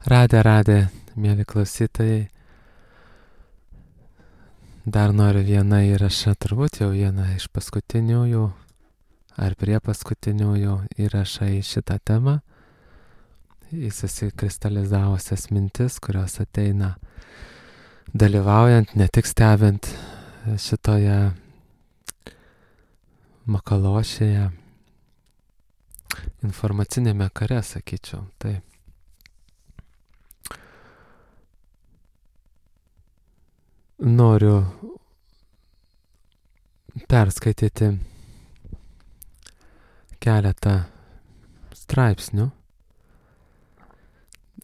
Radę, mėly klausytojai. Dar noriu vieną įrašą, turbūt jau vieną iš paskutiniųjų ar prie paskutiniųjų įrašą į šitą temą. Į susikristalizavusias mintis, kurios ateina dalyvaujant, ne tik stebint šitoje makalošėje, informacinėme kare, sakyčiau. Tai noriu perskaityti keletą straipsnių.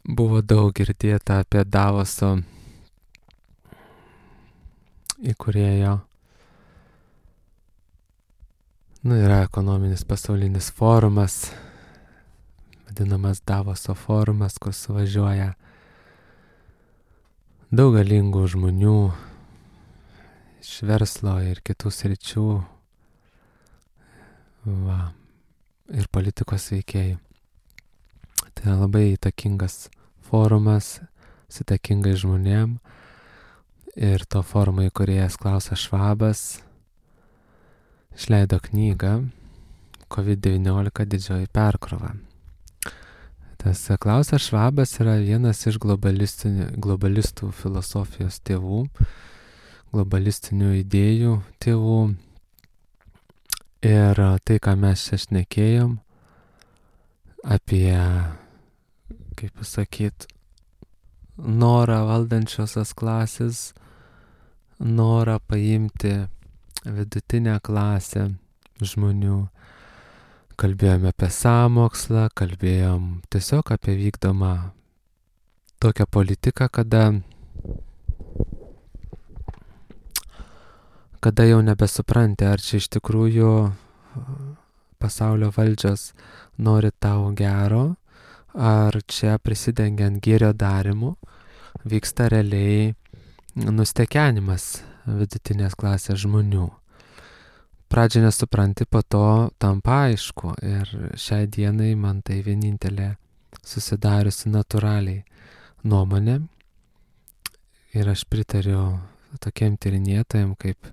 Buvo daug girdėta apie Davoso įkūrėjo. Yra ekonominis pasaulinis forumas, vadinamas Davoso forumas, kur suvažiuoja daug galingų žmonių iš verslo ir kitų sričių, ir politikos veikėjų. Tai yra labai įtakingas forumas su įtakingais žmonėm, ir to forumo įkūrėjas Klausas Švabas išleido knygą COVID-19 didžioji perkrova. Tas Klausas Švabas yra vienas iš globalistų filosofijos tėvų, globalistinių idėjų tėvų. Ir tai, ką mes čia šnekėjom apie, kaip pasakyt, norą valdančiosios klasės, norą paimti vidutinę klasę žmonių. Kalbėjome apie sąmokslą, kalbėjom tiesiog apie vykdomą tokią politiką, kada jau nebesupranti, ar čia iš tikrųjų pasaulio valdžios nori tau gero, ar čia prisidengiant gėrio darimu vyksta realiai nustekenimas vidutinės klasės žmonių. Pradžią nesupranti, po to tampa aišku, ir šiai dienai man tai vienintelė susidariusi natūraliai nuomonė, ir aš pritariu tokiem tyrinėtojam kaip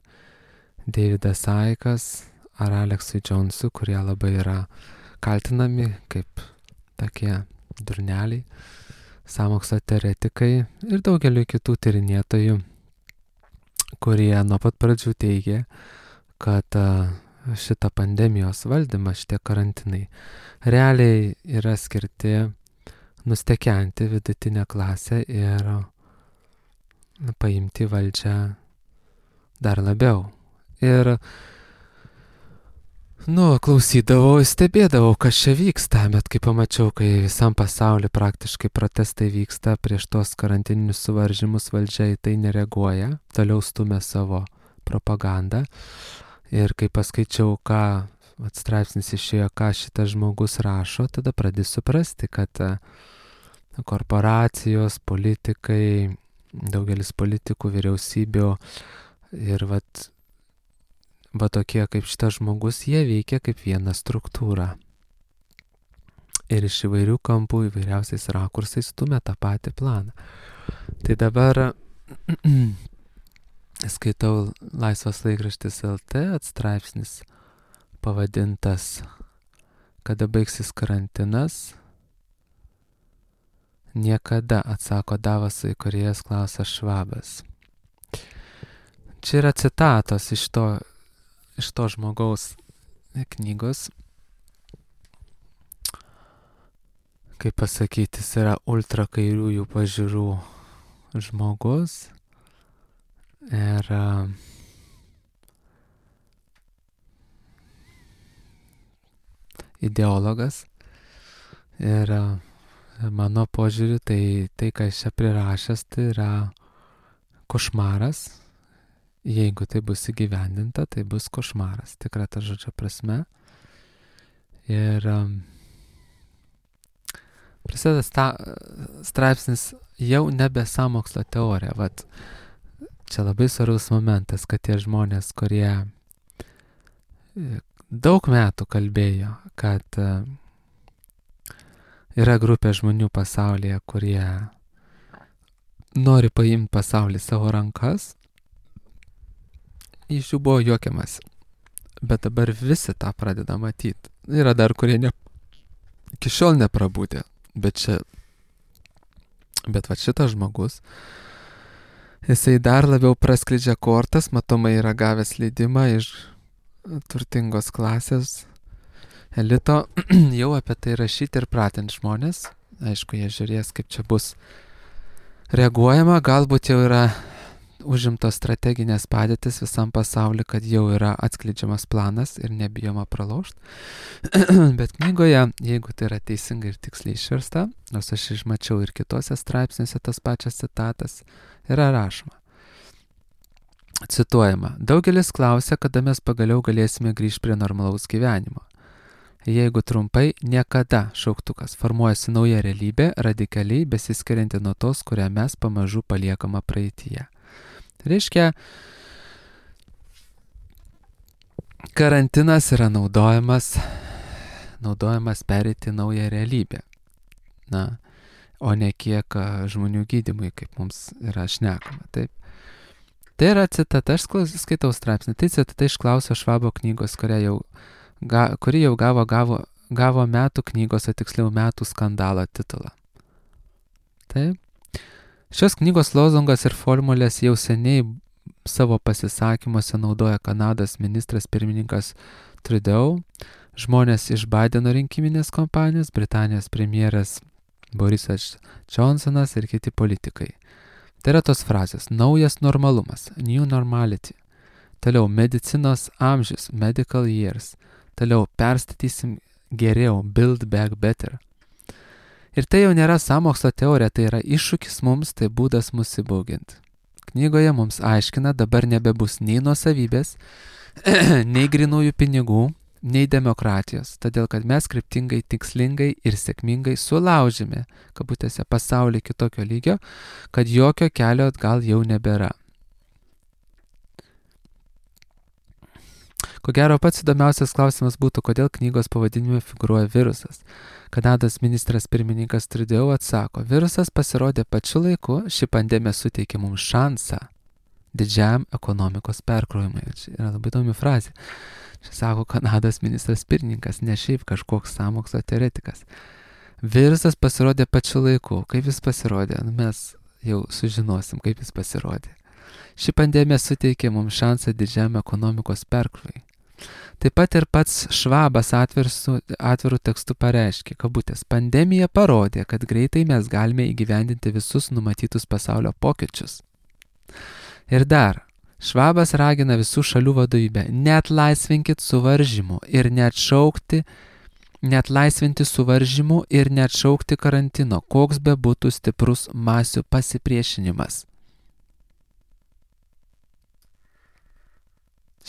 Davidas Ickas ar Aleksui Jonesui, kurie labai yra kaltinami kaip tokie durneliai, sąmokslo teoretikai, ir daugeliu kitų tyrinėtojų, kurie nuo pat pradžių teigė, kad šitą pandemijos valdymą, šitie karantinai realiai yra skirti nustekenti vidutinę klasę ir paimti valdžią dar labiau. Ir klausydavau, stebėdavau, kas čia vyksta, bet kai pamačiau, kai visam pasauliu praktiškai protestai vyksta prieš tos karantininius suvaržymus, valdžia į tai nereaguoja, toliau stumia savo propagandą. Ir kai paskaičiau, ką straipsnis išėjo, ką šitas žmogus rašo, tada pradėjau suprasti, kad korporacijos, politikai, daugelis politikų, vyriausybių ir va tokie kaip šitas žmogus, jie veikia kaip viena struktūra. Ir iš įvairių kampų, įvairiausiais rakursais stumia tą patį planą. Tai dabar skaitau Laisvas laikraštis LT straipsnis pavadintas Kada baigsis karantinas? Niekada, atsako Davoso įkūrėjas Klausas Švabas. Čia yra citatos iš to žmogaus knygos. Kaip pasakyti, jis yra ultra kairiųjų pažiūrų žmogus. Ir ideologas. Ir mano požiūriu, tai ką jis čia prirašęs, tai yra košmaras. Jeigu tai bus įgyvendinta, tai bus košmaras, tikra ta žodžio prasme. Ir prasideda straipsnis jau nebe sąmokslo teorija. Čia labai svarbus momentas, kad tie žmonės, kurie daug metų kalbėjo, kad Yra grupė žmonių pasaulyje, kurie nori paimti pasaulį savo rankas. Iš jų buvo juokiamas. Bet dabar visi tą pradeda matyti. Yra dar, kurie iki šiol neprabūdė. Bet va šitas žmogus, jisai dar labiau praskleidžia kortas, matomai yra gavęs leidimą iš turtingos klasės elito jau apie tai rašyti ir pratinti žmonės. Aišku, jie žiūrės, kaip čia bus reaguojama, galbūt jau yra užimtos strateginės padėtis visam pasauliu, kad jau yra atskleidžiamas planas ir nebijoma pralaužti. Bet knygoje, jeigu tai yra teisingai ir tiksliai išversta, nors aš išmačiau ir kitose straipsniuose tas pačias citatas, yra rašoma. Cituojama, daugelis klausia, kada mes pagaliau galėsime grįžti prie normalaus gyvenimo. Jeigu trumpai, niekada šauktukas formuojasi nauja realybė, radikaliai besiskirianti nuo tos, kurią mes pamažu paliekama praeityje. Reiškia, karantinas yra naudojamas pereiti naują realybę. Na, o ne kiek žmonių gydymui, kaip mums yra šnekama. Taip. Tai yra citata, aš skaitau straipsnį, tai citata iš Klauso Švabo knygos, kuri jau gavo metų knygos, o tiksliau metų skandalo titulą. Taip. Šios knygos lozungas ir formulės jau seniai savo pasisakymuose naudoja Kanados ministras pirmininkas Trudeau, žmonės iš Bideno rinkiminės kompanijos, Britanijos premjeras Borisas Johnsonas ir kiti politikai. Tai yra tos frazės: naujas normalumas, new normality. Toliau medicinos amžius, medical years. Toliau perstatysim geriau, build back better. Ir tai jau nėra sąmokslo teorija, tai yra iššūkis mums, tai būdas mus įbauginti. Knygoje mums aiškina, dabar nebebus nei nuosavybės, nei grinųjų pinigų, nei demokratijos, todėl kad mes kryptingai, tikslingai ir sėkmingai sulaužėme, kabutėse, pasaulį kitokio lygio, kad jokio kelio atgal jau nebėra. Ko gero, pats įdomiausias klausimas būtų, kodėl knygos pavadinime figūruoja virusas. Kanados ministras pirmininkas Trudeau atsako, virusas pasirodė pačiu laiku, ši pandemija suteikė mums šansą didžiam ekonomikos perkrovimui. Čia yra labai įdomi frazė. Čia sako Kanados ministras pirmininkas, ne šiaip kažkoks sąmokslo teoretikas. Virusas pasirodė pačiu laiku. Kaip jis pasirodė? Mes jau sužinosim, kaip jis pasirodė. Ši pandemija suteikė mums šansą didžiam ekonomikos perkrovimui. Taip pat ir pats Švabas atvirų tekstų pareiškė, kabutės, pandemija parodė, kad greitai mes galime įgyvendinti visus numatytus pasaulio pokyčius. Ir dar, Švabas ragina visų šalių vadovybę, neatlaisvinkit suvaržymų ir neatlaisvinti suvaržymų ir neatšaukti karantino, koks be būtų stiprus masių pasipriešinimas.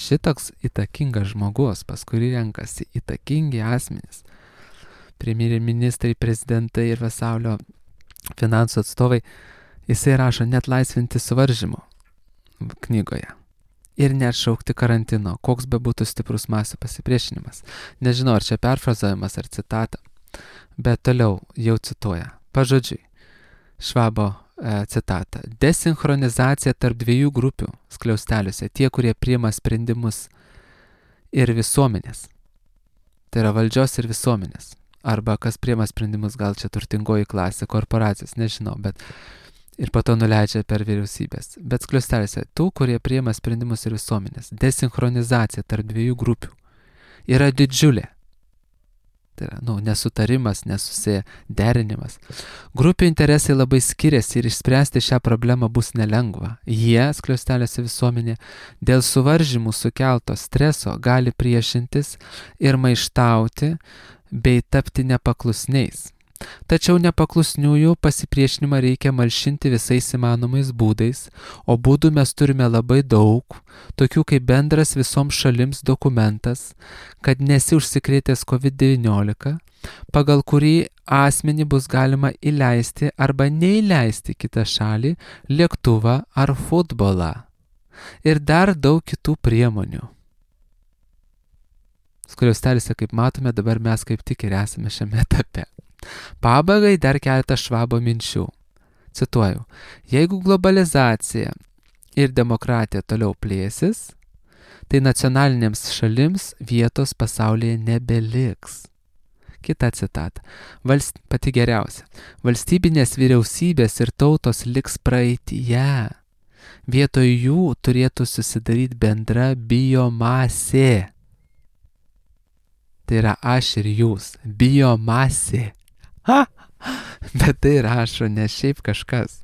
Šitoks įtakingas žmogus, pas kurį renkasi įtakingi asmenys, premjeriai ministrai, prezidentai ir pasaulio finansų atstovai, jisai rašo neatlaisvinti suvaržymų knygoje ir neatšaukti karantino, koks be būtų stiprus masių pasipriešinimas. Nežinau, ar čia perfrazavimas ar citata, bet toliau jau cituoja, pažodžiui, Švabo citatą. Desinchronizация tarp dviejų grupių skliausteliuose, tie, kurie priima sprendimus ir visuomenės. Tai yra valdžios ir visuomenės. Arba kas priima sprendimus, gal čia turtingoji klasė, korporacijos, nežinau, bet ir po to nuleidžia per vyriausybės. Bet skliausteliuose, tų, kurie priima sprendimus ir visuomenės. Desinchronizация tarp dviejų grupių yra didžiulė. Tai yra, nesutarimas, nesusiderinimas. Grupių interesai labai skiriasi ir išspręsti šią problemą bus nelengva. Jie, skliausteliuose visuomenė, dėl suvaržymų sukelto streso gali priešintis ir maištauti bei tapti nepaklusniais. Tačiau nepaklusniųjų pasipriešinimą reikia malšinti visais įmanomais būdais, o būdų mes turime labai daug, tokių kaip bendras visoms šalims dokumentas, kad nesi užsikrėtęs COVID-19, pagal kurį asmenį bus galima įleisti arba neįleisti kitą šalį, lėktuvą ar futbolą. Ir dar daug kitų priemonių. Skliausteliuose, kaip matome, dabar mes kaip tik ir esame šiame etape. Pabaigai dar keletą Švabo minčių. Cituoju, jeigu globalizacija ir demokratija toliau plėsis, tai nacionalinėms šalims vietos pasaulyje nebeliks. Kita citata. Pati geriausia. Valstybinės vyriausybės ir tautos liks praeityje. Vietoj jų turėtų susidaryti bendra biomasė. Tai yra aš ir jūs. Biomasė. Ha! Bet tai rašo ne šiaip kažkas.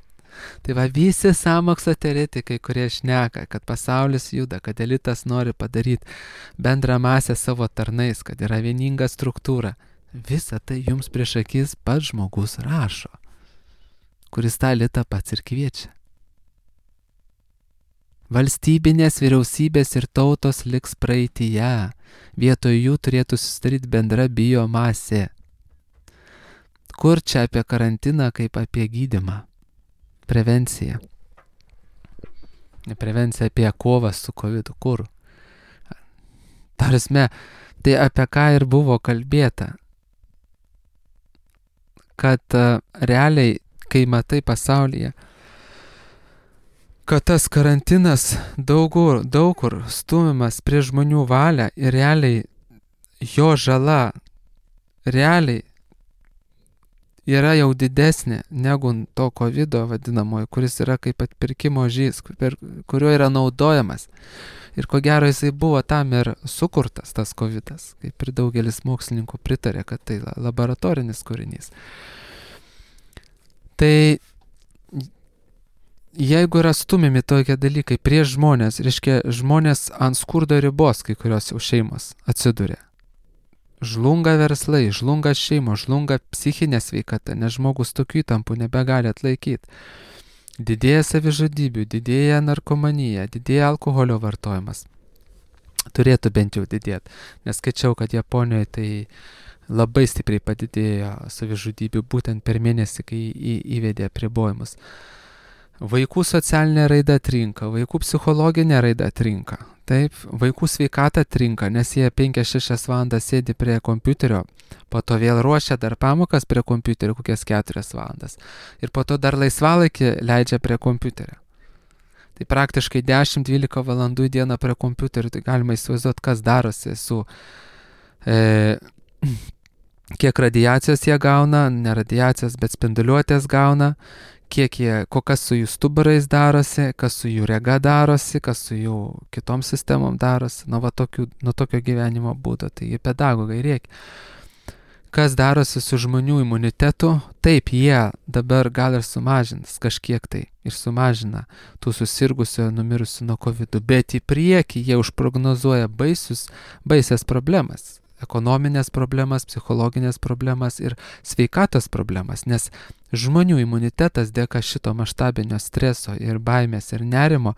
Tai va visi sąmokslo teoretikai, kurie šneka, kad pasaulis juda, kad elitas nori padaryti bendrą masę savo tarnais, kad yra vieninga struktūra. Visa tai jums prieš akis pats žmogus rašo, kuris tą elitą pats ir kviečia. Valstybinės vyriausybės ir tautos liks praeityje. Vietoj jų turėtų susidaryti bendra biomasė. Kur čia apie karantiną kaip apie gydymą? Prevencija. Prevencija apie kovą su COVID. Kur? Tarasme, tai apie ką ir buvo kalbėta. Kad realiai, kai matai pasaulyje, kad tas karantinas daug kur stumiamas prie žmonių valią ir realiai jo žala realiai yra jau didesnė negu to covido vadinamojo, kuris yra kaip atpirkimo ožys, kurio yra naudojamas. Ir ko gero jisai buvo tam ir sukurtas tas covidas, kaip ir daugelis mokslininkų pritarė, kad tai laboratorinis kūrinys. Tai jeigu yra stumiami tokie dalykai prieš žmonės, reiškia žmonės ant skurdo ribos, kai kurios jau šeimos atsiduria. Žlunga verslai, žlunga šeimos, žlunga psichinė sveikata, nes žmogus tokių įtampų nebegali atlaikyti. Didėja savižudybių, didėja narkomanija, didėja alkoholio vartojimas. Turėtų bent jau didėti, nes skaičiau, kad Japonijoje tai labai stipriai padidėjo savižudybių būtent per mėnesį, kai įvedė apribojimus. Vaikų socialinė raida trinka, vaikų psichologinė raida trinka. Taip, vaikų sveikata trinka, nes jie 5-6 valandas sėdi prie kompiuterio, po to vėl ruošia dar pamokas prie kompiuterio kokias 4 valandas ir po to dar laisvalaikį leidžia prie kompiuterio. Tai praktiškai 10-12 valandų į dieną prie kompiuterio, tai galima įsivaizduoti, kas darosi su kiek radiacijos jie gauna, ne radiacijos, bet spinduliuotės gauna, kas su jų stuburais darosi, kas su jų rega darosi, kas su jų kitom sistemom darosi, nuo tokio gyvenimo būdo, tai pedagogai reikia. Kas darosi su žmonių imunitetu, taip jie dabar gal ir sumažins kažkiek tai ir sumažina tų susirgusių, numirusių nuo COVID, bet į priekį jie užprognozuoja baisias problemas. Ekonominės problemas, psichologinės problemas ir sveikatos problemas, nes žmonių imunitetas dėka šito maštabinio streso ir baimės ir nerimo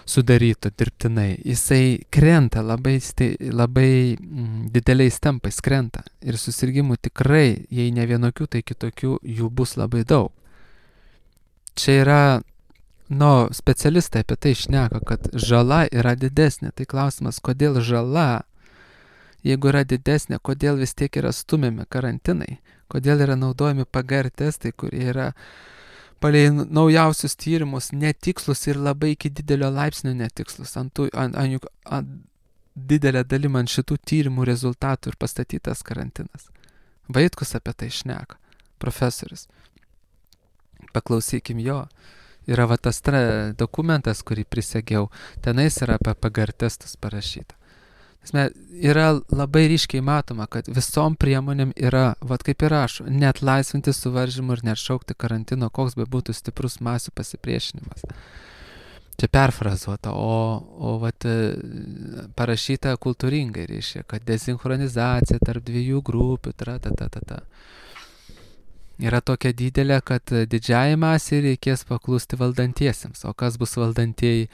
sudaryto dirbtinai, jisai krenta labai dideliais tempais krenta ir susirgymų tikrai, jei ne vienokių, tai kitokių jų bus labai daug. Čia yra, specialistai apie tai šneka, kad žala yra didesnė, tai klausimas, kodėl žala, jeigu yra didesnė, kodėl vis tiek yra stumiami karantinai, kodėl yra naudojami PCR testai, kurie yra palei naujausius tyrimus netikslus ir labai iki didelio laipsnio netikslus, ant didelę dalim ant šitų tyrimų rezultatų ir pastatytas karantinas. Vaitkus apie tai šneka, profesorius. Paklausykim jo. Yra tas dokumentas, kurį prisegiau, tenais yra apie PCR testus parašyta. Yra labai ryškiai matoma, kad visom priemonėm yra, kaip ir rašo, net laisvinti suvaržymų ir net šaukti karantino, koks be būtų stiprus masių pasipriešinimas. Čia perfrazuota, o parašyta kultūringai reiškia, kad dezinchronizacija tarp dviejų grupių, yra tokia didelė, kad didžiai masiai reikės paklusti valdantiesiems, o kas bus valdantieji?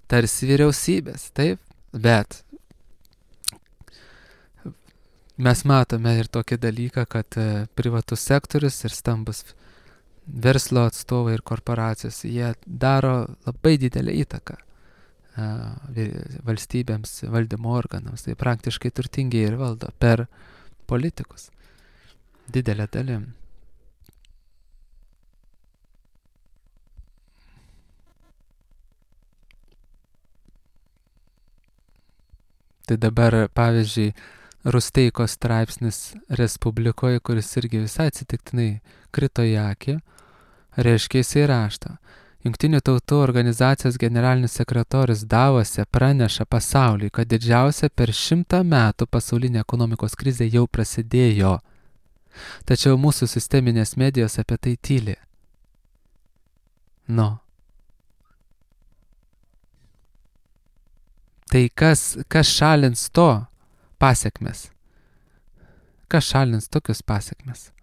Tarsi vyriausybės, taip, bet mes matome ir tokį dalyką, kad privatus sektorius ir stambus verslo atstovai ir korporacijos, jie daro labai didelę įtaką valstybėms, valdymo organams. Tai praktiškai turtingiai ir valdo per politikus. didelė dalim. Tai dabar, pavyzdžiui, Rusteikos straipsnis Respublikoje, kuris irgi visai atsitiktinai krito į akį, reiškia jisai rašto. Jungtinių tautų organizacijos generalinis sekretorius Davose praneša pasauliui, kad didžiausia per 100 metų pasaulinė ekonomikos krizė jau prasidėjo. Tačiau mūsų sisteminės medijos apie tai tyli. Tai kas šalins to pasekmes? Kas šalins tokius pasekmes?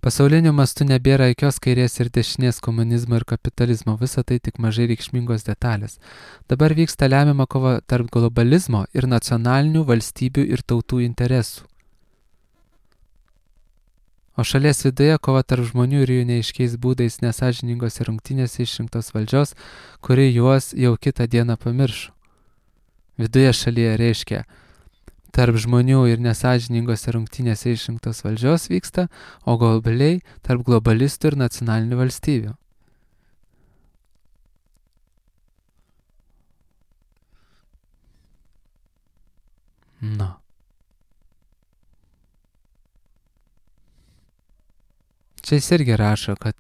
Pasauliniu mastu nebėra jokios kairės ir dešinės, komunizmo ir kapitalizmo, visa tai tik mažai reikšmingos detalės. Dabar vyksta lemiama kova tarp globalizmo ir nacionalinių valstybių ir tautų interesų. O šalies viduje kova tarp žmonių ir jų neaiškiais būdais nesąžiningose rungtynėse išrinktos valdžios, kuri juos jau kitą dieną pamiršo. Viduje šalyje reiškia, tarp žmonių ir nesąžiningose rungtynėse išrinktos valdžios vyksta, o globaliai tarp globalistų ir nacionalinių valstybių. Čia jis irgi rašo, kad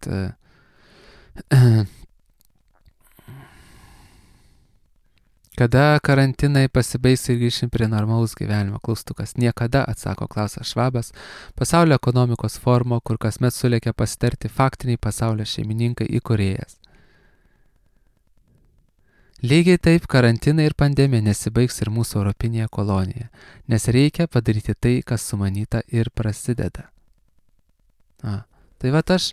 kada karantinai pasibaigs ir grįšim prie normalaus gyvenimo, klaustukas. Niekada, atsako Klausas Švabas, pasaulio ekonomikos forumo, kur kasmet sulėkia pasitarti faktiniai pasaulio šeimininkai įkūrėjas. Lygiai taip karantinai ir pandemija nesibaigs ir mūsų europinėje kolonijoje, nes reikia padaryti tai, kas sumanyta ir prasideda. Tai vat aš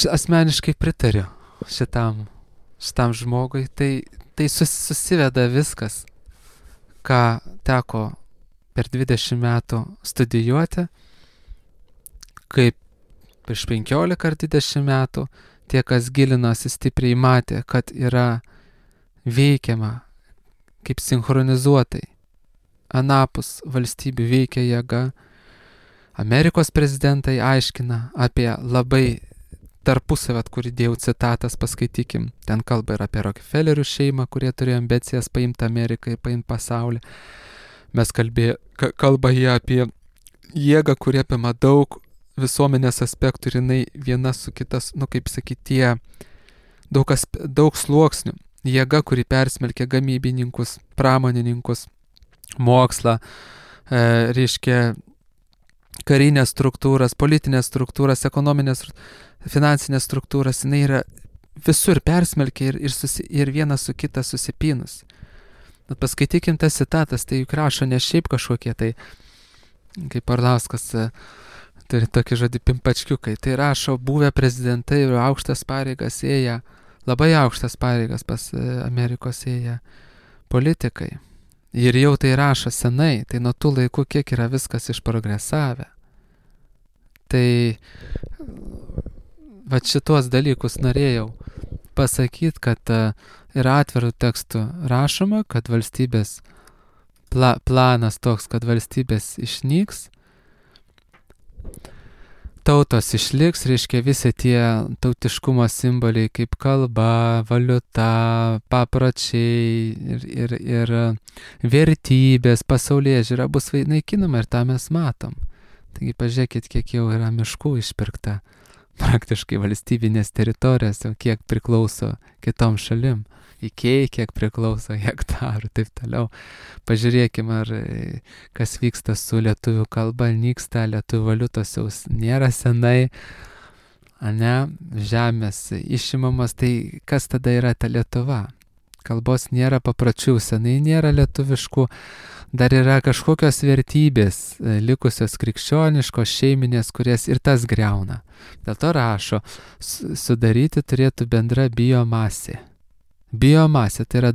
asmeniškai pritariu šitam žmogui, tai susiveda viskas, ką teko per 20 metų studijuoti, kaip prieš 15 ar 20 metų, tie, kas gilinosi stipriai matė, kad yra veikiama kaip sinchronizuotai, anapus valstybių veikia jėga. Amerikos prezidentai aiškina apie labai tarpusavę, kur įdėjau citatas, paskaitykim. Ten kalba ir apie Rockefellerių šeimą, kurie turėjo ambicijas paimti Ameriką ir paimti pasaulį. Mes kalba jie apie jėgą, kurie apima daug visuomenės aspektų ir jinai viena su kitas, kaip sakyti, daug sluoksnių. Jėga, kuri persmelkia gamybininkus, pramonininkus, mokslą, reiškia karinės struktūras, politinės struktūras, ekonominės, finansinės struktūras, jinai yra visur persmelkia ir viena su kita susipynus. Paskaitykim tas citatas, tai juk rašo ne šiaip kažkokie, tai kaip Arlauskas turi tokį žodį pimpačkiukai, tai rašo buvę prezidentai ir aukštas pareigas ėję, labai aukštas pareigas pas Amerikos ėję politikai. Ir jau tai rašo senai, tai nuo tų laikų kiek yra viskas išprogresavę. Tai vat šitos dalykus norėjau pasakyti, kad yra atvirų tekstų rašoma, kad valstybės planas toks, kad valstybės išnyks, tautos išliks, reiškia visi tie tautiškumo simboliai kaip kalba, valiuta, papročiai ir vertybės, pasaulėžiūra bus naikinama ir tą mes matom. Taigi pažiūrėkit, kiek jau yra miškų išpirkta praktiškai valstybinės teritorijos, kiek priklauso kitom šalim. Ikėjai, kiek priklauso hektarų, taip toliau. Pažiūrėkime, ar kas vyksta su lietuvių kalba, nyksta, lietuvių valiutos jau nėra senai, žemės išimamas, tai kas tada yra ta Lietuva? Kalbos nėra, papročių senai nėra lietuviškų, dar yra kažkokios vertybės, likusios krikščioniškos, šeiminės, kurias ir tas griauna. Dėl to rašo, sudaryti turėtų bendra biomasė. Biomasė, tai yra,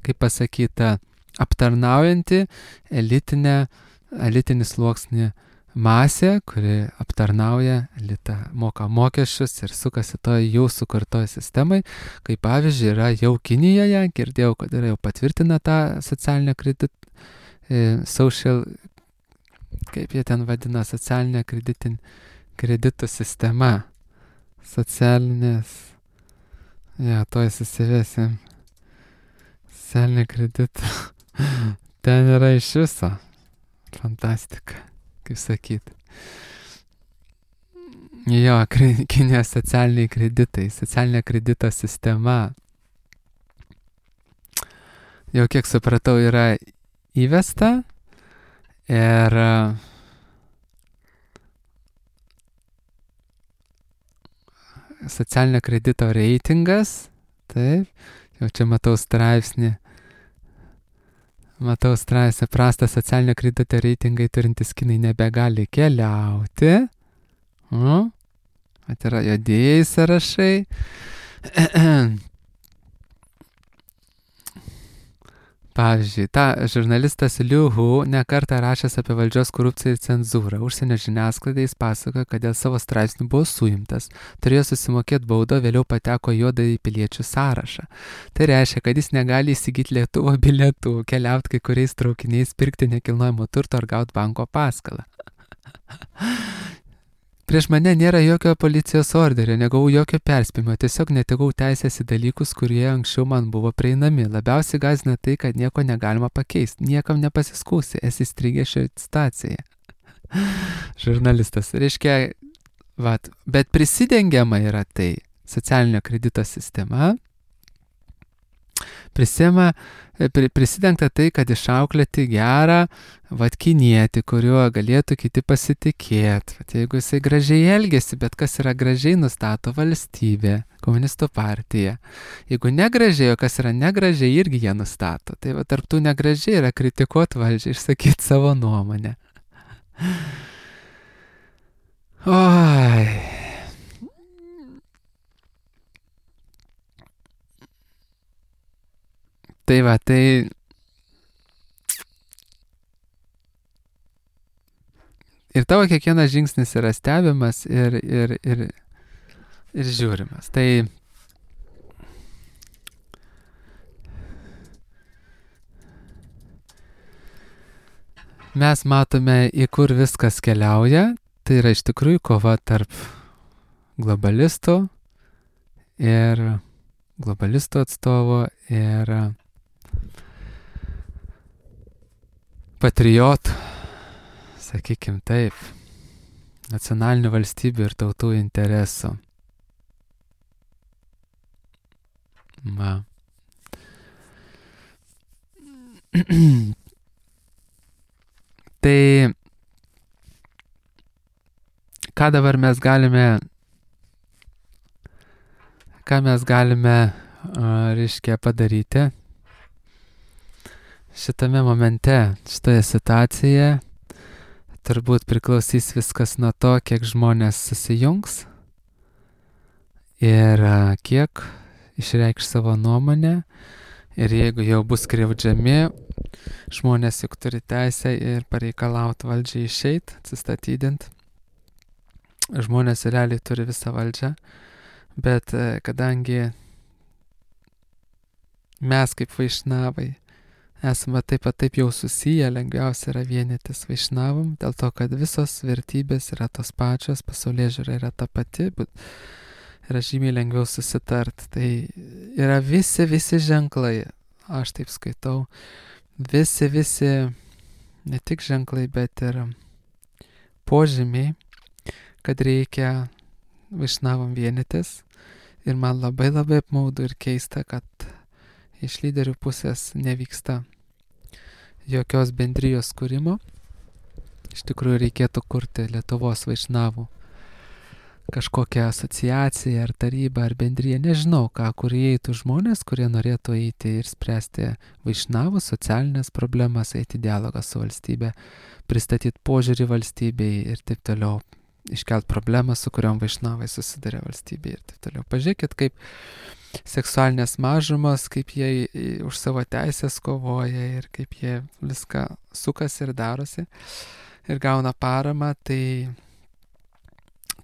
kaip pasakyta, aptarnaujanti elitinį sluoksnį masė, kuri aptarnauja elitą, moka mokesčius ir sukasi to jų sukurtoje sistemai, kaip pavyzdžiui yra jau Kinijoje, girdėjau, kad yra jau patvirtina tą socialinę social, kaip jie ten vadina, socialinę kreditų sistema, socialinės, tuoj susivėsim, socialinė kreditų, ten yra iš viso, fantastika, kaip sakyt. Jo, Kinijos socialiniai kreditai, socialinė kredito sistema, jau kiek supratau, yra įvesta ir socialinio kredito reitingas, taip, jau čia matau straipsnį, prastą socialinio kredito reitingai turintis kinai nebegali keliauti, mat yra juodieji sąrašai, pavyzdžiui, žurnalistas Liu Hu nekartą rašęs apie valdžios korupciją ir cenzūrą. Užsienio žiniasklaidai jis pasakoja, kad dėl savo straipsnių buvo suimtas, turėjo susimokėti baudą, vėliau pateko juodąjį piliečių sąrašą. Tai reiškia, kad jis negali įsigyti lėktuvo bilietų, keliauti kai kuriais traukiniais, pirkti nekilnojamo turto ar gauti banko paskolą. Prieš mane nėra jokio policijos orderio, negavau jokio perspėjimo, tiesiog netekau teisės į dalykus, kurie anksčiau man buvo prieinami. Labiausiai gąsdina tai, kad nieko negalima pakeisti, niekam nepasiskųsi, esi įstrigęs šioje situacijoje. Žurnalistas, reiškia, bet prisidengiama yra tai, socialinio kredito sistema, prisidengta tai, kad išauklėti gerą kinietį, kuriuo galėtų kiti pasitikėti. Jeigu jisai gražiai elgesi, bet kas yra gražiai, nustato valstybė, komunistų partija. Jeigu negražiai, o kas yra negražiai, irgi jie nustato. Tai tarp tų negražiai yra kritikuoti valdžią, išsakyti savo nuomonę. Oi. Tai ir tavo kiekvienas žingsnis yra stebimas ir žiūrimas. Tai mes matome, į kur viskas keliauja. Tai yra iš tikrųjų kova tarp globalistų atstovo ir patriotų, sakykim taip, nacionalinių valstybių ir tautų interesų. Tai ką dabar mes galime reiškia padaryti šitame momente, šitoje situacijoje. Turbūt priklausys viskas nuo to, kiek žmonės susijungs ir kiek išreikš savo nuomonę. Ir jeigu jau bus skriaudžiami, žmonės juk turi teisę ir pareikalauti valdžiai išeiti, atsistatydinti. Žmonės realiai turi visą valdžią, bet kadangi mes kaip vaišnavai esame taip jau susiję, lengviausia yra vienytis vaišnavam, dėl to, kad visos vertybės yra tos pačios, pasaulėžiūra yra ta pati, bet yra žymiai lengviau susitart. Tai yra visi ženklai, aš taip skaitau, visi, ne tik ženklai, bet ir požymiai, kad reikia vaišnavam vienytis. Ir man labai apmaudu ir keista, kad iš lyderių pusės nevyksta jokios bendrijos kūrimo. Iš tikrųjų reikėtų kurti Lietuvos vaišnavų kažkokią asociaciją ar tarybą ar bendriją, nežinau ką, kur įeitų žmonės, kurie norėtų eiti ir spręsti vaišnavų socialinės problemas, eiti dialogą su valstybė, pristatyti požiūrį valstybei ir taip toliau, iškelt problemą, su kuriom vaišnavai susiduria valstybė ir taip toliau. Pažiūrėkit, kaip seksualinės mažumos, kaip jie už savo teisės kovoja ir kaip jie viską sukasi ir darosi. ir gauna paramą, tai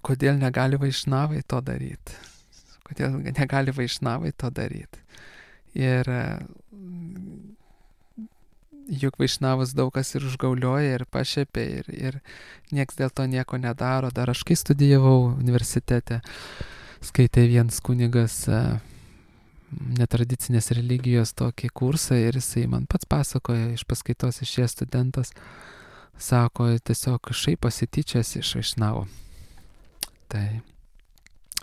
kodėl negali vaišnavai to daryti? Kodėl negali vaišnavai to daryti? Ir juk vaišnavus daug kas ir užgaulioja, ir pašėpė, ir nieks dėl to nieko nedaro. Dar aš kai studijavau universitete, skaitė vienas kunigas netradicinės religijos tokį kursą ir jisai man pats pasakoja, iš paskaitos išėjęs studentas, sako, tiesiog šaiposi tyčias iš vaišnavo. Tai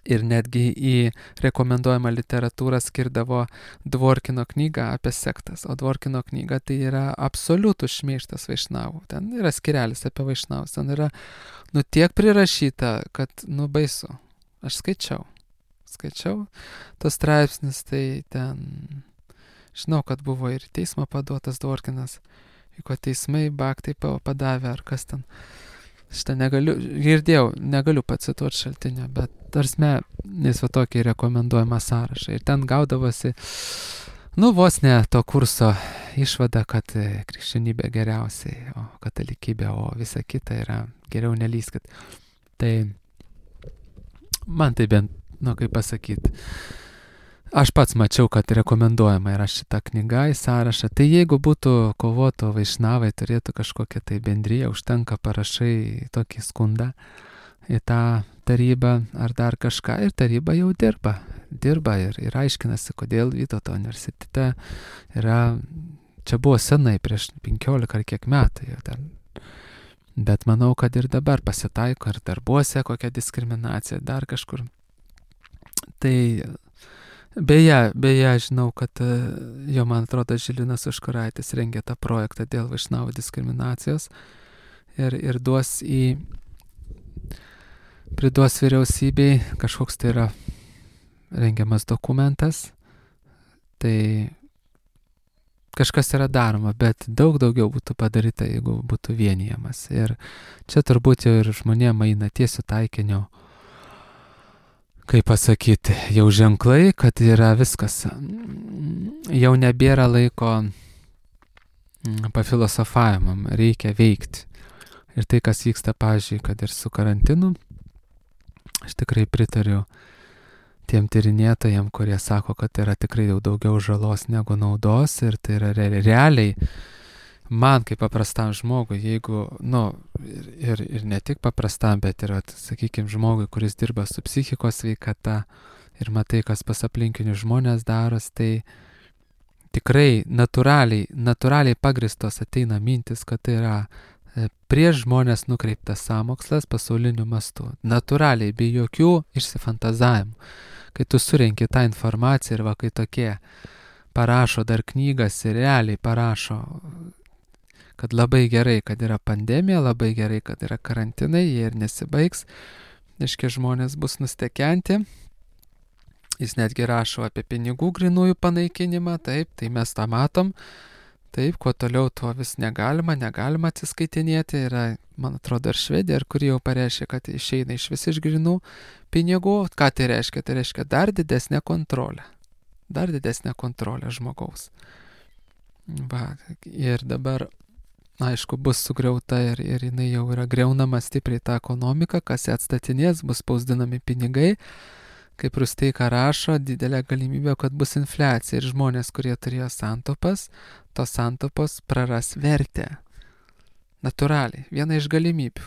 ir netgi į rekomenduojamą literatūrą skirdavo Dvorkino knygą apie sektas, o Dvorkino knyga tai yra absoliutus šmeižtas vaišnavų. Ten yra skirelis apie vaišnavus, ten yra, tiek prirašyta, kad, baisu. Aš skaičiau tos straipsnis, tai ten, žinau, kad buvo ir teismo paduotas Dvorkinas, ko teismai baktai padavė, ar kas ten. Šitą negaliu pacituoti šaltinio, bet tarsme, jis va tokį rekomenduojamą sąrašą. Ir ten gaudavosi, vos ne to kurso išvada, kad krikščionybė geriausiai, o katalikybė, o visa kita yra geriau nelyskit. Tai man tai bent, kaip pasakyti, aš pats mačiau, kad rekomenduojama yra šita knyga į sąrašą. Tai jeigu būtų kovoto vaišnavai, turėtų kažkokią tai bendriją, užtenka parašai tokį skundą į tą tarybą ar dar kažką, ir taryba jau dirba ir aiškinasi, kodėl Vytauto universitete yra, čia buvo senai, prieš 15 ar kiek metų jau dar. Bet manau, kad ir dabar pasitaiko, ir darbuose kokia diskriminacija, dar kažkur. Tai beje, žinau, kad man atrodo, Žilinas Užkuraitis rengė tą projektą dėl vaišnavų diskriminacijos ir priduos vyriausybei, kažkoks tai yra rengiamas dokumentas, tai kažkas yra daroma, bet daug daugiau būtų padaryta, jeigu būtų vienijamas. Ir čia turbūt jau ir žmonėm eina tiesiu taikiniu, kaip pasakyti, jau ženklai, kad yra viskas. Jau nebėra laiko pafilosofavimam, reikia veikti. Ir tai, kas vyksta, pavyzdžiui, kad ir su karantinu, aš tikrai pritariu tiem tyrinėtojam, kurie sako, kad yra tikrai jau daugiau žalos negu naudos, ir tai yra realiai man kaip paprastam žmogui, jeigu, ir ne tik paprastam, bet ir, sakykime, žmogui, kuris dirba su psichikos sveikata ir matai, kas pas aplinkinius žmonės daros, tai tikrai natūraliai pagristos ateina mintis, kad tai yra prieš žmonės nukreiptas sąmokslas pasauliniu mastu. Natūraliai, be jokių išsifantazavimų. Kai tu surenki tą informaciją ir kai tokie parašo dar knygas ir realiai parašo, kad labai gerai, kad yra pandemija, labai gerai, kad yra karantinai, jie ir nesibaigs, reiškia, žmonės bus nustekenti. Jis netgi rašo apie pinigų grynųjų panaikinimą, taip, tai mes tą matom, taip, kuo toliau, tuo vis negalima atsiskaitinėti. Yra, man atrodo, ir Švedija, kuri jau pareiškia, kad išeina iš vis iš grynų pinigų. Ką tai reiškia? Tai reiškia dar didesnę kontrolę žmogaus. Ir dabar, aišku, bus sugriauta ir jinai jau yra griaunama stipriai tą ekonomiką, kas ją atstatinės, bus spausdinami pinigai. Kaip Rusteika rašo, didelė galimybė, kad bus infliacija ir žmonės, kurie turėjo santaupas, tos santaupos praras vertę. Natūraliai, viena iš galimybių.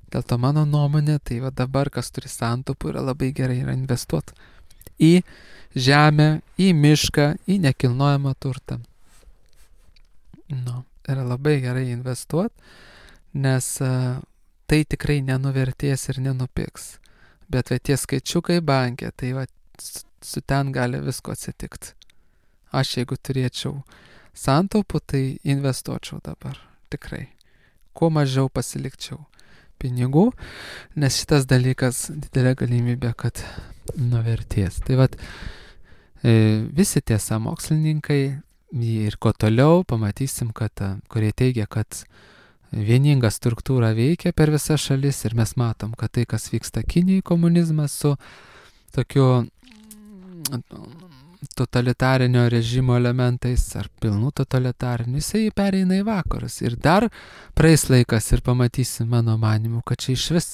Dėl to mano nuomonė, tai dabar, kas turi santaupų, yra labai gerai yra investuoti į žemę, į mišką, į nekilnojamą turtą. Yra labai gerai investuoti, nes tai tikrai nenuvertės ir nenupigs. Bet tie skaičiukai bankė, tai su ten gali visko atsitikti. Aš jeigu turėčiau santaupų, tai investuočiau dabar, tikrai. Kuo mažiau pasilikčiau pinigų, nes šitas dalykas didelė galimybė, kad nuvertės. Tai visi tie sąmokslininkai ir kuo toliau pamatysim, kad kurie teigia, kad vieninga struktūra veikia per visas šalis ir mes matom, kad tai, kas vyksta Kinijai, komunizmas su tokiu totalitarinio režimo elementais ar pilnų totalitarinių, jisai pereina į vakarus. Ir dar praeis laikas ir pamatysi mano manimu, kad čia iš vis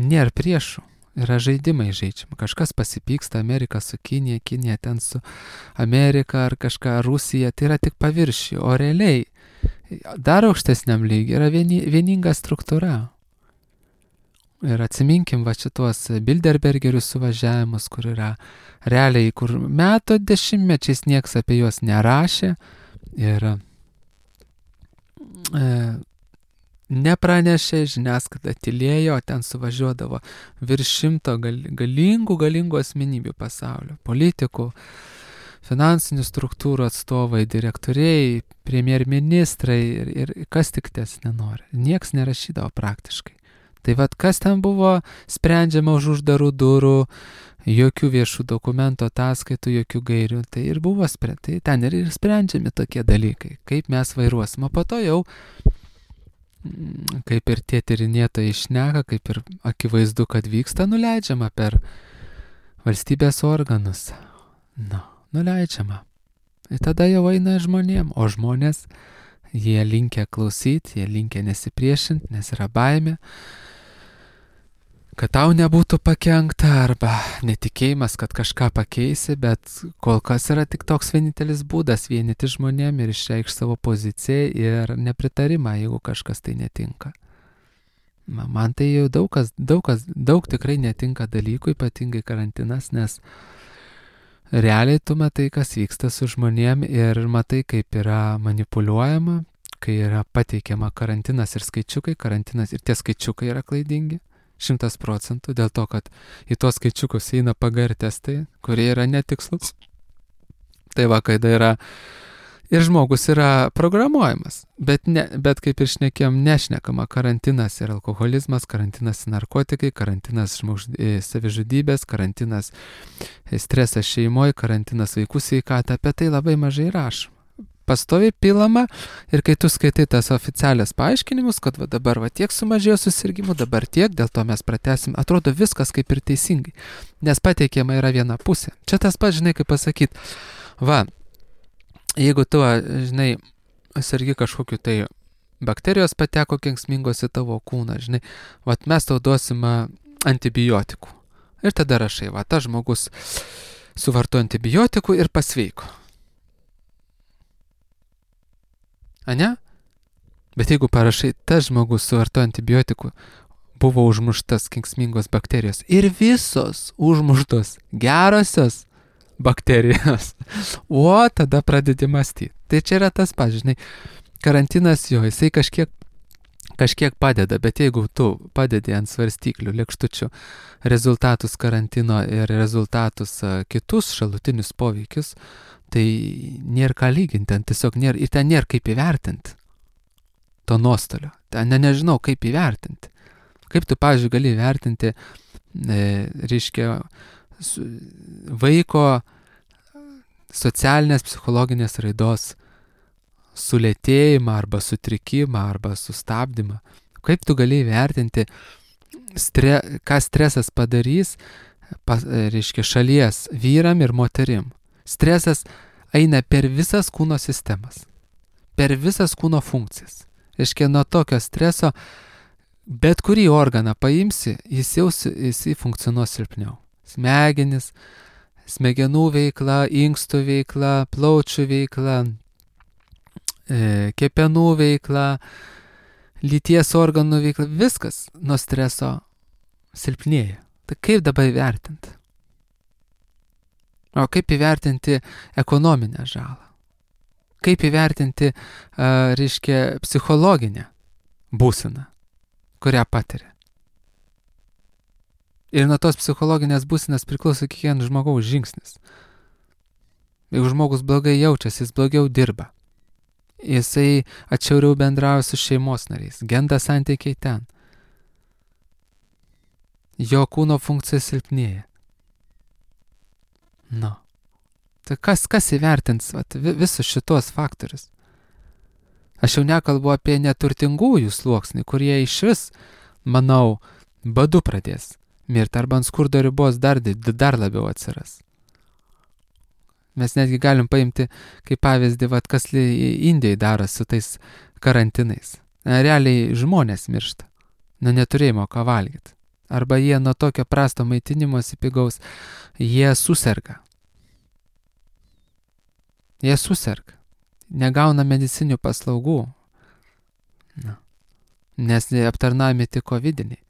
nėra priešų. Yra žaidimai žaidžiami. Kažkas pasipyksta, Amerika su Kinija, Kinija ten su Amerika ar kažką, Rusija, tai yra tik paviršiai. O realiai dar aukštesniam lygiai yra vieninga struktūra. Ir atsiminkim va šitos Bilderbergerių suvažiavimus, kur yra realiai, kur metų dešimtmečiais nieks apie juos nerašė ir nepranešė, žiniasklaida tylėjo, ten suvažiuodavo virš 100 galingų asmenybių pasaulio, politikų, finansinių struktūrų atstovai, direktoriai, premjerministrai ir kas tik ties nenori. Nieks nerašydavo praktiškai. Tai vad, kas ten buvo sprendžiama už uždarų durų, jokių viešų dokumentų, ataskaitų, jokių gairių. Tai ir buvo tai ten ir sprendžiami tokie dalykai, kaip mes vairuosim. O po to jau, kaip ir tie tyrinėtojai šneka, kaip ir akivaizdu, kad vyksta, nuleidžiama per valstybės organus. Nuleidžiama. Ir tada jau eina žmonėm, o žmonės, jie linkę klausyti, jie linkę nesipriešinti, nes yra baimė, kad tau nebūtų pakenkta arba netikėjimas, kad kažką pakeisi, bet kol kas yra tik toks vienintelis būdas vienyti žmonėm ir išreikšti savo poziciją ir nepritarimą, jeigu kažkas tai netinka. Man tai jau daug tikrai netinka dalykų, ypatingai karantinas, nes realiai tu matai, kas vyksta su žmonėm ir matai, kaip yra manipuliuojama, kai yra pateikiama karantinas ir skaičiukai, karantinas ir tie skaičiukai yra klaidingi. 100%, dėl to, kad į tos skaičiukus eina PGR testai, kurie yra netikslus. Tai va, kai yra ir žmogus yra programuojamas, bet kaip ir šnekėjom, nešnekama karantinas ir alkoholizmas, karantinas narkotikai, karantinas savižudybės, karantinas stresas šeimoje, karantinas vaikų sveikata, apie tai labai mažai rašoma. Pastoviai pilama ir kai tu skaitai tas oficialias paaiškinimus, kad va dabar va tiek sumažėjo susirgymų, dabar tiek, dėl to mes pratęsim, atrodo viskas kaip ir teisingai, nes pateikiama yra viena pusė. Čia tas pats, žinai, kaip pasakyti, va, jeigu tu, žinai, sergi kažkokiu tai bakterijos pateko kenksmingos į tavo kūną, žinai, va mes tau duosim antibiotikų. Ir tada rašai, va, tas žmogus suvartojo antibiotikų ir pasveiko. Ane? Bet jeigu parašai, tas žmogus suvartojo antibiotikų, buvo užmuštas kenksmingos bakterijos ir visos užmuštos gerosios bakterijos, o tada pradedi mąstyti. Tai čia yra tas pats, žinai, karantinas jo, jisai kažkiek padeda, bet jeigu tu padedi ant svarstyklių, lėkštučių rezultatus karantino ir rezultatus kitus šalutinius poveikius, tai nėra ką lyginti, ten tiesiog nėra, ir ten nėra kaip įvertinti to nuostolio. Ten nežinau, kaip įvertinti. Kaip tu, pavyzdžiui, gali įvertinti, reiškia, vaiko socialinės psichologinės raidos sulėtėjimą arba sutrikimą arba sustabdymą. Kaip tu gali įvertinti, ką stresas padarys, reiškia, šalies vyram ir moterim. Stresas eina per visas kūno sistemas, per visas kūno funkcijas. Reiškia, nuo tokio streso bet kurį organą paimsi, jis funkcionuos silpniau. Smegenis, smegenų veikla, inkstų veikla, plaučių veikla, kepenų veikla, lyties organų veikla, viskas nuo streso silpnėja. Tai kaip dabar įvertinti? O kaip įvertinti ekonominę žalą? Kaip įvertinti, reiškia, psichologinę būseną, kurią patiria? Ir nuo tos psichologinės būsenos priklauso kiekvieno žmogaus žingsnis. Jeigu žmogus blogai jaučiasi, jis blogiau dirba. Jisai atšiauriau bendrauja su šeimos nariais, genda santykiai ten. Jo kūno funkcija silpnėja. Tai kas įvertins visus šitos faktorius? Aš jau nekalbu apie neturtingųjų sluoksnį, kurie iš vis, manau, badu pradės mirti arba ant skurdo ribos dar labiau atsiras. Mes netgi galim paimti kaip pavyzdį, kas Indijai daro su tais karantinais. Realiai žmonės miršta nuo neturėjimo ką valgyti. Arba jie nuo tokio prasto maitinimosi pigaus, jie suserga. Jie suserga. Negauna medicinių paslaugų. Nes aptarnaujami tik covidiniai.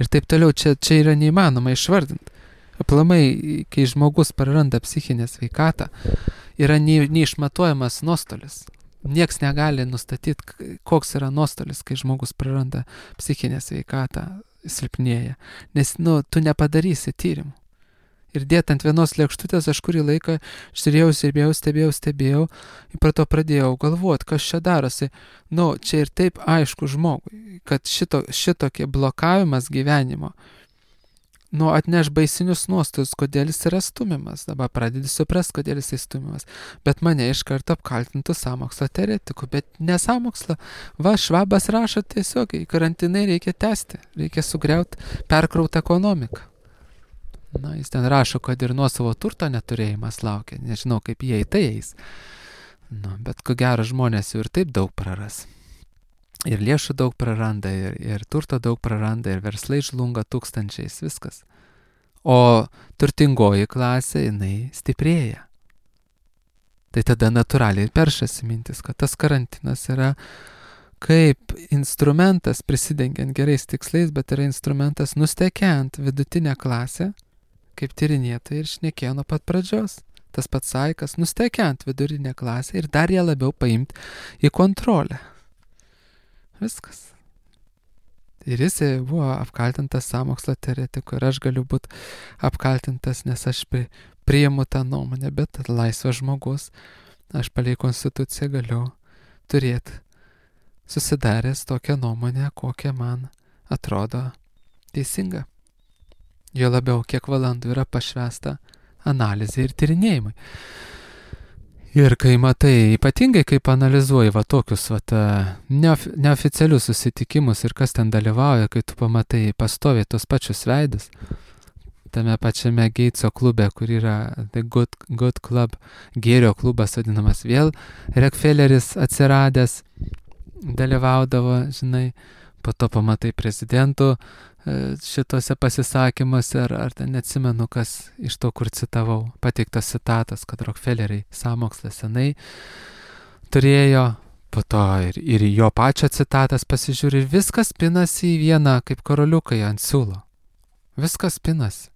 Ir taip toliau, čia yra neįmanoma išvardinti. Aplamai, kai žmogus praranda psichinę sveikatą, yra neišmatuojamas nuostolis. Nieks negali nustatyti, koks yra nuostolis, kai žmogus praranda psichinę sveikatą, silpnėja. Nes, tu nepadarysi tyrimų. Ir dėt ant vienos lėkštutės aš kurį laiką stebėjau, ir pro to pradėjau galvoti, kas čia darosi. Čia ir taip aišku žmogui, kad šitokie blokavimas gyvenimo, atneš baisinius nuostolius, kodėl jis yra stumiamas. Dabar pradedi suprasti, kodėl jis stumiamas. Bet mane iš karto apkaltintų sąmokslo teoretikų, bet ne sąmokslo. Švabas rašo tiesiog, karantinai reikia tęsti, reikia sugriauti perkrautą ekonomiką. Jis ten rašo, kad ir nuosavo turto neturėjimas laukia. Nežinau, kaip jie į tai eis. Bet ko gero žmonės jau ir taip daug praras. Ir lėšų daug praranda, ir turto daug praranda, ir verslai žlunga tūkstančiais, viskas. O turtingoji klasė, jinai stiprėja. Tai tada natūraliai peršasi mintis, kad tas karantinas yra kaip instrumentas, prisidengiant gerais tikslais, bet yra instrumentas nustekiant vidutinę klasę, kaip tyrinėtojai ir šnekėjo nuo pat pradžios. Tas pats Saikas, nustekiant vidurinę klasę ir dar ją labiau paimti į kontrolę. Viskas. Ir jis buvo apkaltintas sąmokslo teoretiku ir aš galiu būti apkaltintas, nes aš priimu tą nuomonę, bet laisvas žmogus, aš palei konstituciją galiu turėti susidaręs tokią nuomonę, kokią man atrodo teisinga. Jo labiau, kiek valandų yra pašvęsta analizė ir tyrinėjimai. Ir kai matai, ypatingai kaip analizuoji tokius neoficialius susitikimus ir kas ten dalyvauja, kai tu pamatai pastoviai tos pačius veidus, tame pačiame Geitso klube, kur yra The Good Club, gėrio klubas vadinamas, vėl Rockefelleris atsiradęs, dalyvaudavo, po to pamatai prezidentų šitose pasisakymuose, ar ten neatsimenu, kas iš to, kur citavau, pateiktas citatas, kad Rockefelleriai sąmokslą senai turėjo, po to ir jo pačio citatas pasižiūri, ir viskas pinasi į vieną, kaip karoliukai ant siūlo. Viskas pinasi.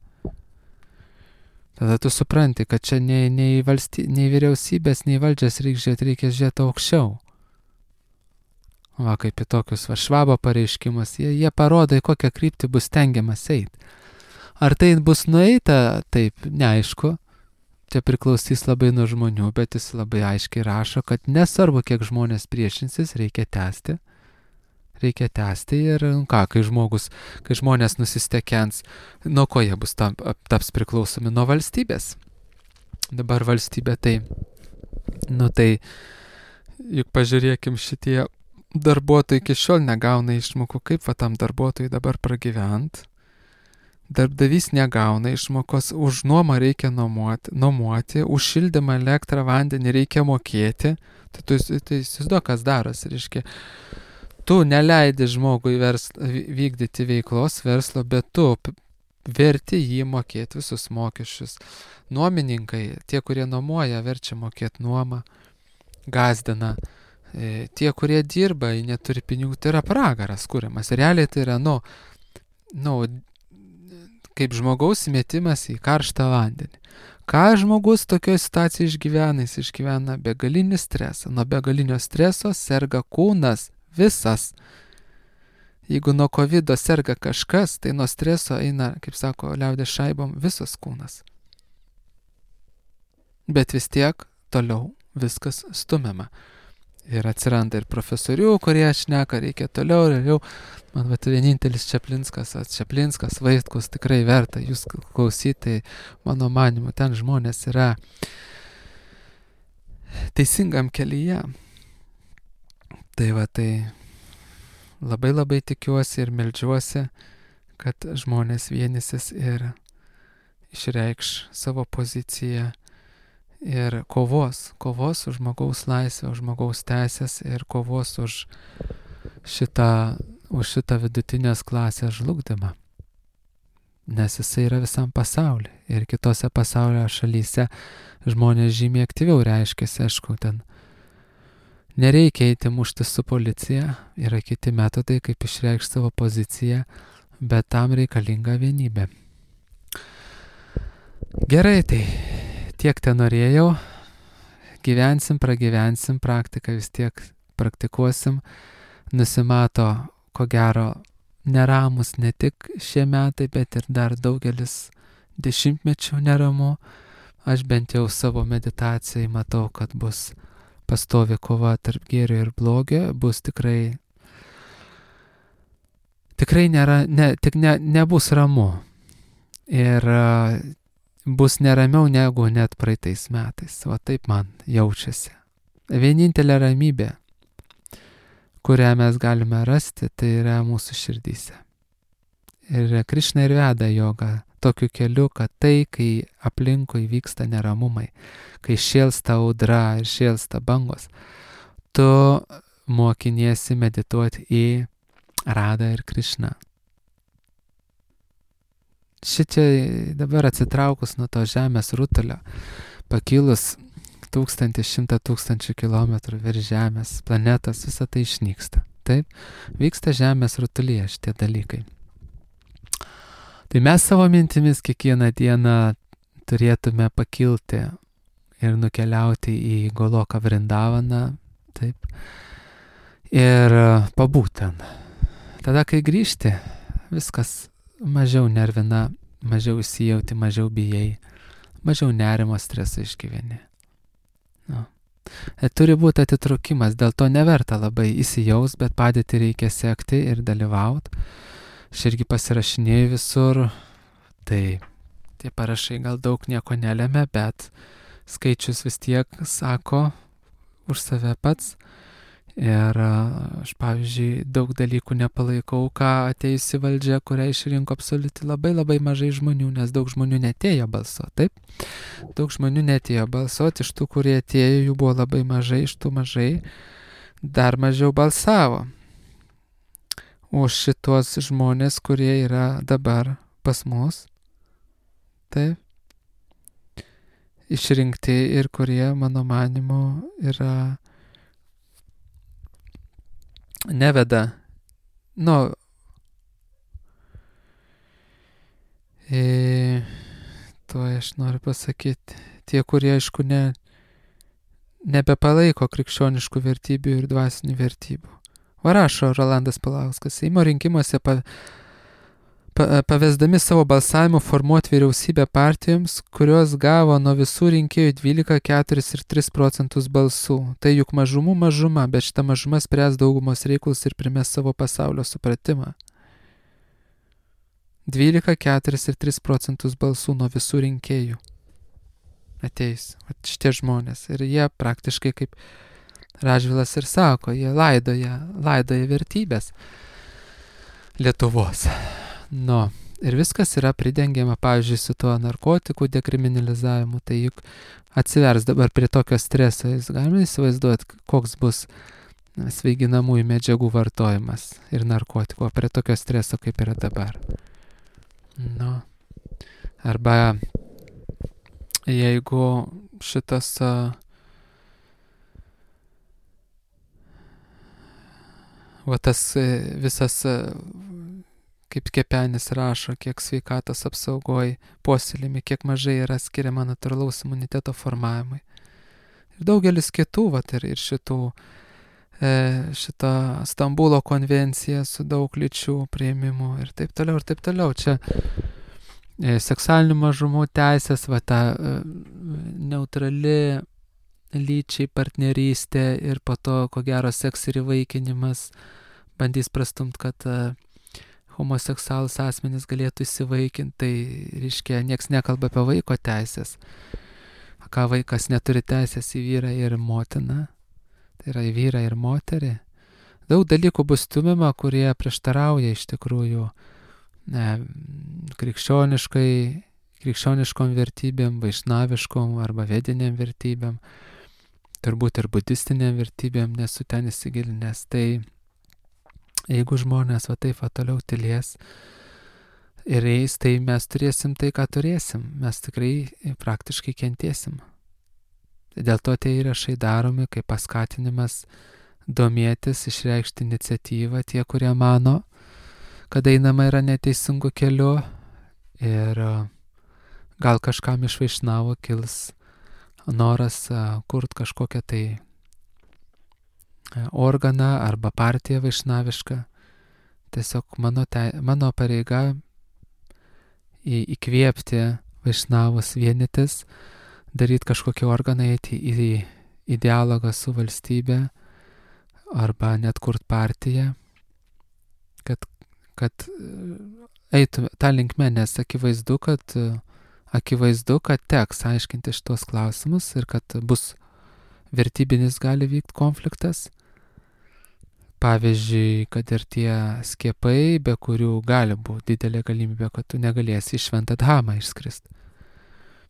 Tada tu supranti, kad čia nei vyriausybės, nei valdžias reikia žiūrėti aukščiau. Kaip į tokius Švabo pareiškimus, jie parodo, į kokią kryptį bus stengiamas eiti. Ar tai bus nueita, taip, neaišku. Čia priklausys labai nuo žmonių, bet jis labai aiškiai rašo, kad nesvarbu, kiek žmonės priešinsis, reikia tęsti. Reikia tęsti ir kai žmonės nusistekens, nuo ko jie bus taps priklausomi nuo valstybės. Dabar valstybė tai, juk pažiūrėkim, šitie darbuotojai iki šiol negauna išmokų, kaip tam darbuotojai dabar pragyvent. Darbdavys negauna išmokos, už nuomą reikia nuomoti, už šildymą, elektrą, vandenį reikia mokėti. Tai įsivaizduok, kas darosi, reiškia. Tu neleidi žmogui vykdyti veiklos verslo, bet tu verti jį mokėti visus mokesčius. Nuomininkai, tie, kurie nuomoja, verčia mokėti nuomą, gazdina. Tie, kurie dirba, neturi pinigų, tai yra pragaras kuriamas. Realiai tai yra, kaip žmogaus įmetimas į karštą vandenį. Ką žmogus tokioje situacijoje išgyvena? Jis išgyvena begalinį stresą. Nuo begalinio streso serga kūnas visas. Jeigu nuo COVID serga kažkas, tai nuo streso eina, kaip sako liaudės šaibom, visas kūnas. Bet vis tiek toliau viskas stumiama. Ir atsiranda ir profesorių, kurie šneka, reikia toliau ir jau. Man vienintelis Čaplinskas, Vaitkus, tikrai verta jūs klausyti, mano manimu, ten žmonės yra teisingam kelyje. Tai labai labai tikiuosi ir meldžiuosi, kad žmonės vienysis ir išreikš savo poziciją ir kovos už žmogaus laisvę, už žmogaus teisės ir kovos už šitą vidutinės klasės žlugdymą. Nes jisai yra visam pasauliu ir kitose pasaulio šalyse žmonės žymiai aktyviau reiškiasi, aišku, ten nereikia eiti mušti su policija, yra kiti metodai, kaip išreikšti savo poziciją, bet tam reikalinga vienybė. Gerai, tai tiek ten norėjau, gyvensim, pragyvensim, praktiką vis tiek praktikuosim, nusimato, ko gero, neramus ne tik šie metai, bet ir dar daugelis dešimtmečių neramu. Aš bent jau savo meditacijai matau, kad bus pastovi kova tarp gėrio ir blogio, bus tikrai nebus ramu. Ir bus neramiau negu net praeitais metais. O taip man jaučiasi. Vienintelė ramybė, kurią mes galime rasti, tai yra mūsų širdyse. Ir Krišna ir veda jogą tokiu keliu, kad tai, kai aplinkui vyksta neramumai, kai šėlsta audra ir šėlsta bangos, tu mokiniesi medituoti į Radą ir Krišną. Šičia dabar atsitraukus nuo to žemės rutulio, pakilus 1100 tūkstančių kilometrų virš žemės, planetos, visa tai išnyksta. Taip, vyksta žemės rutulyje šitie dalykai. Tai mes savo mintimis kiekvieną dieną turėtume pakilti ir nukeliauti į Goloką Vrindavaną, taip, ir pabūti ten. Tada, kai grįžti, viskas mažiau nervina, mažiau įsijauti, mažiau bijai, mažiau nerimo, streso išgyveni. No. Turi būti atitraukimas, dėl to neverta labai įsijaus, bet padėti reikia sekti ir dalyvauti. Aš irgi pasirašinėjau visur, tai tie parašai gal daug nieko nelemia, bet skaičius vis tiek sako už save pats. Ir aš, pavyzdžiui, daug dalykų nepalaikau, ką atėjusi valdžia, kurią išrinko absoliučiai labai mažai žmonių, nes daug žmonių netėjo balsuoti, taip? Daug žmonių netėjo balsuoti, iš tų, kurie atėjo, jų buvo labai mažai, iš tų mažai dar mažiau balsavo už šitos žmonės, kurie yra dabar pas mus, taip? Išrinkti ir kurie, mano manimu, yra neveda, to aš noriu pasakyti, tie, kurie, aišku, nebepalaiko krikščioniškų vertybių ir dvasinių vertybių. Va rašo Rolandas Paulauskas, Seimo rinkimuose pavesdami savo balsavimu formuoti vyriausybę partijoms, kurios gavo nuo visų rinkėjų 12, 4 ir 3% balsų. Tai juk mažumų mažuma, bet šita mažuma spręs daugumos reikalus ir primės savo pasaulio supratimą. 12, 4 ir 3% balsų nuo visų rinkėjų ateis šitie žmonės. Ir jie praktiškai, kaip Radžvilas ir sako, jie laidoja vertybės Lietuvos. Ir viskas yra pridengiama, pavyzdžiui, su tuo narkotikų dekriminalizavimu, tai juk atsivers dabar prie tokio streso, jūs galime įsivaizduoti, koks bus svaiginamųjų medžiagų vartojimas ir narkotikų, prie tokio streso, kaip yra dabar. Arba jeigu šitas tas visas, kaip Kepenis rašo, kiek sveikatos apsaugoj puoselėjami, kiek mažai yra skiriama natūralaus imuniteto formavimui. Ir daugelis kitų, ir šita Stambulo konvencija su daug lyčių priėmimu ir taip toliau, ir taip toliau. Čia seksualinių mažumų teisės, ta neutrali lyčiai partnerystė ir po to, ko gero, seks ir įvaikinimas bandys prastumt, kad homoseksualus asmenys galėtų įsivaikinti, tai reiškia, nieks nekalba apie vaiko teisės. Ką vaikas neturi teisės į vyrą ir motiną, tai yra į vyrą ir moterį. Daug dalykų bus stumiama, kurie prieštarauja iš tikrųjų krikščioniškai krikščioniškom vertybėm, vaišnaviškom arba vediniam vertybėm, turbūt ir budistiniam vertybėm nesu ten įsigilinęs. Tai jeigu žmonės va taip va toliau tylės ir eis, tai mes turėsim tai, ką turėsim. Mes tikrai praktiškai kentėsim. Dėl to tie įrašai daromi kaip paskatinimas domėtis, išreikšti iniciatyvą tie, kurie mano, kad einama yra neteisingų keliu ir gal kažkam iš vaišnavų kils noras kurt kažkokią tai organą arba partiją vaišnavišką. Tiesiog mano pareiga įkvėpti vaišnavus vienytis, daryti kažkokį organą, eiti į dialogą su valstybe arba net kurt partiją, kad eitų tą linkmę, nes akivaizdu, kad teks aiškinti šitos klausimus ir kad bus vertybinis gali vykti konfliktas. Pavyzdžiui, kad ir tie skiepai, be kurių gali būti didelė galimybė, kad tu negalėsi į Šventą Dhamą išskrist.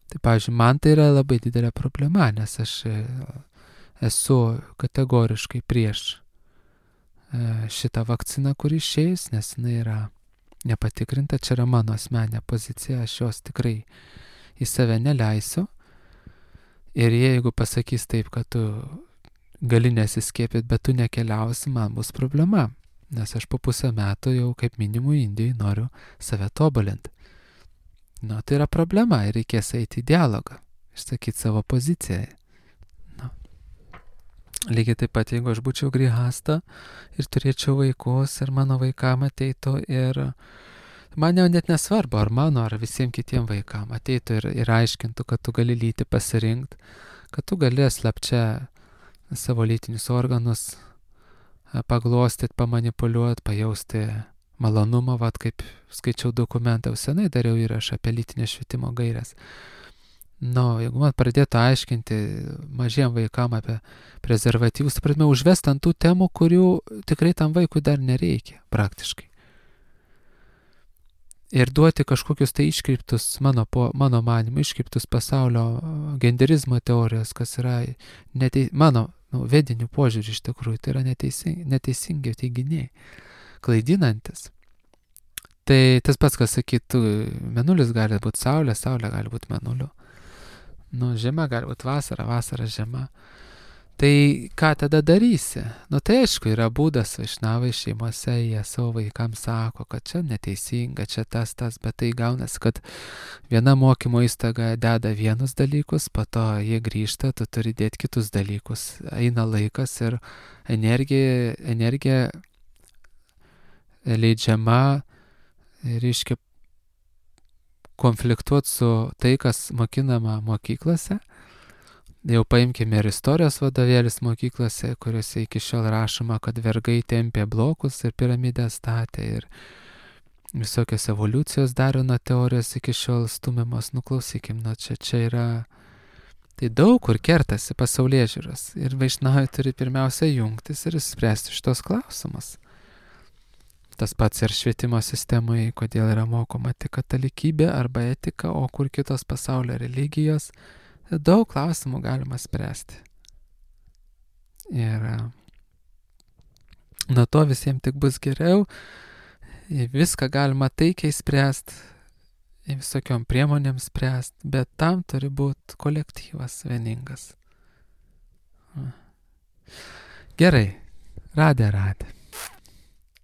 Tai pavyzdžiui, man tai yra labai didelė problema, nes aš esu kategoriškai prieš šitą vakciną, kuri išeis, nes jinai yra nepatikrinta, čia yra mano asmeninė pozicija, aš jos tikrai į save neleisiu. Ir jeigu pasakys taip, kad tu gali nesiskiepyti, bet tu nekeliausi, man bus problema, nes aš po pusę metų jau kaip minimum Indijai noriu save tobulinti. Tai yra problema ir reikės eiti į dialogą, išsakyti savo poziciją. Lygiai taip pat, jeigu aš būčiau grihasta ir turėčiau vaikus ir mano vaikam ateitų ir man jau net nesvarbu, ar mano, ar visiems kitiem vaikam ateitų ir aiškintų, kad tu gali lytį pasirinkti, kad tu gali slapčia savo lytinius organus paglostyti, pamanipuliuoti, pajausti malonumą, kaip skaičiau dokumentą, senai dariau įrašą apie lytinio švietimo gairias. Jeigu man pradėtų aiškinti mažiem vaikam apie prezervatyvus, pradėjome užvesti ant tų temų, kurių tikrai tam vaikui dar nereikia, praktiškai. Ir duoti kažkokius tai iškreiptus, mano manimu, iškreiptus pasaulio genderizmo teorijos, kas yra mano vedinių požiūrį iš tikrųjų, tai yra neteisingi teiginiai, klaidinantis. Tai tas pats, kas sakytų, mėnulis gali būti saulė, saulė gali būti mėnuliu. Žiema gali būti vasara, vasara žiema. Tai ką tada darysi? Tai aišku, yra būdas, vaišnavai šeimose, jie savo vaikams sako, kad čia neteisinga, čia tas, bet tai gaunasi, kad viena mokymo įstaiga deda vienus dalykus, po to jie grįžta, tu turi dėti kitus dalykus. Eina laikas ir energija leidžiama, reiškia, konfliktuoti su tai, kas mokinama mokyklose. Jau paimkime ir istorijos vadovėlis mokyklose, kuriuose iki šiol rašoma, kad vergai tempė blokus ir piramidę statė ir visokios evoliucijos darino teorijos iki šiol stumiamos. Klausykim, čia yra, tai daug kur kertasi pasaulėžiūros ir vaišnavai turi pirmiausia jungtis ir spręsti šitos klausimus. Tas pats ir švietimo sistemoje, kodėl yra mokoma tik katalikybė arba etika, o kur kitos pasaulio religijos. Daug klausimų galima spręsti. Ir nuo to visiems tik bus geriau. Viską galima taikiai spręsti, visokiom priemonėm spręsti, bet tam turi būti kolektyvas vieningas. Gerai, radė.